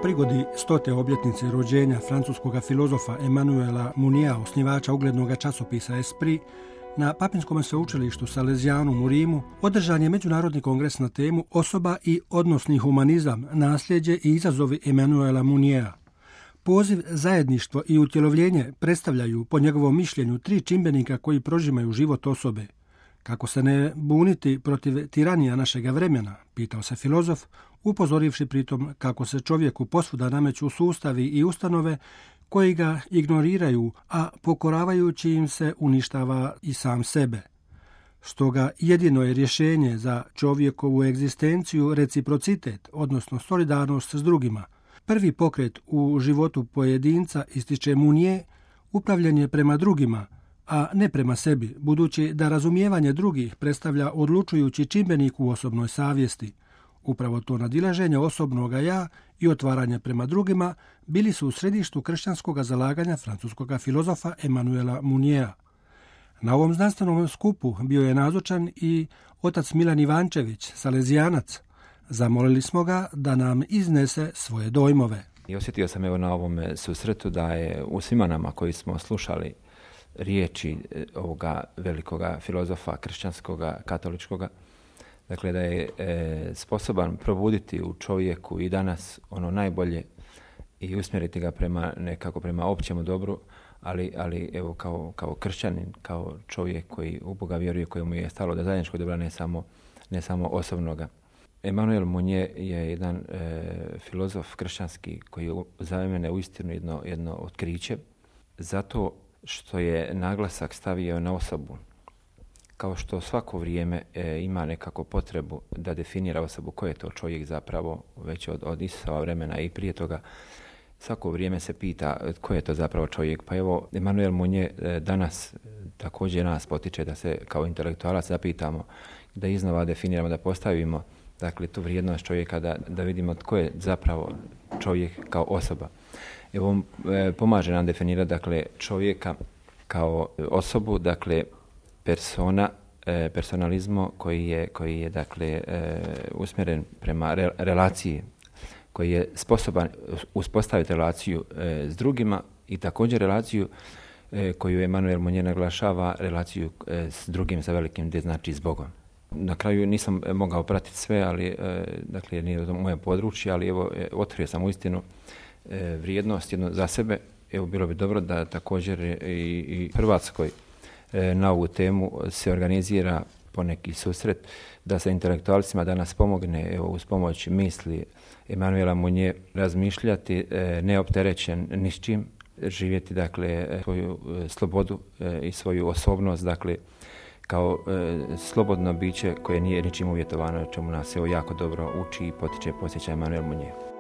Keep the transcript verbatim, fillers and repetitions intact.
prigodi stote obljetnice rođenja francuskog filozofa Emmanuela Mouniera, osnivača uglednog časopisa Esprit, na Papinskom sveučilištu Salesianum u Rimu održan je međunarodni kongres na temu Osoba i odnosni humanizam, nasljeđe i izazovi Emmanuela Mouniera. Poziv, zajedništvo i utjelovljenje predstavljaju, po njegovom mišljenju, tri čimbenika koji prožimaju život osobe. Kako se ne buniti protiv tiranija našega vremena, pitao se filozof, upozorivši pritom kako se čovjeku posvuda nameću sustavi i ustanove koji ga ignoriraju, a pokoravajući im se uništava i sam sebe. Stoga jedino je rješenje za čovjekovu egzistenciju reciprocitet, odnosno solidarnost s drugima. Prvi pokret u životu pojedinca, ističe Mounier, upravljanje je prema drugima, a ne prema sebi, budući da razumijevanje drugih predstavlja odlučujući čimbenik u osobnoj savjesti. Upravo to nadilaženje osobnoga ja i otvaranje prema drugima bili su u središtu kršćanskog zalaganja francuskog filozofa Emmanuela Mouniera. Na ovom znanstvenom skupu bio je nazočan i otac Milan Ivančević, salezijanac. Zamolili smo ga da nam iznese svoje dojmove. I osjetio sam evo na ovom susretu da je u svima nama koji smo slušali riječi ovoga velikoga filozofa kršćanskoga, katoličkoga, dakle da je e, sposoban probuditi u čovjeku i danas ono najbolje i usmjeriti ga prema nekako prema općemu dobru, ali, ali evo kao, kao kršćanin, kao čovjek koji u Boga vjeruje, kojemu je stalo da zajedničko dobra ne samo, ne samo osobnoga. Emmanuel Mounier je jedan e, filozof kršćanski koji je za mene uistinu jedno, jedno otkriće, zato što je naglasak stavio na osobu. Kao što svako vrijeme e, ima nekako potrebu da definira osobu ko je to čovjek zapravo, već od, od Isusova vremena i prije toga, svako vrijeme se pita ko je to zapravo čovjek. Pa evo, Emmanuel Mounier e, danas također nas potiče da se kao intelektualac zapitamo, da iznova definiramo, da postavimo dakle tu vrijednost čovjeka, da, da vidimo tko je zapravo čovjek kao osoba. Evo, on e, pomaže nam definirati dakle čovjeka kao osobu, dakle persona, e, personalizmo koji je, koji je dakle e, usmjeren prema re, relaciji, koji je sposoban uspostaviti relaciju e, s drugima i također relaciju e, koju Emmanuel Mounier naglašava, relaciju e, s drugim sa velikim, gdje znači s Bogom. Na kraju nisam mogao pratiti sve, ali e, dakle nije to moje područje, ali evo e, otkrio sam uistinu e, vrijednost jedno za sebe. Evo bilo bi dobro da također i, i Hrvatskoj e, na ovu temu se organizira poneki susret, da se intelektualcima danas pomogne evo uz pomoć misli Emmanuela Mounier razmišljati e, neopterećen ni s čim, živjeti dakle svoju e, slobodu e, i svoju osobnost, dakle kao e, slobodno biće koje nije ničim uvjetovano, čemu nas evo jako dobro uči i potiče, posjeća Emmanuel Mounier.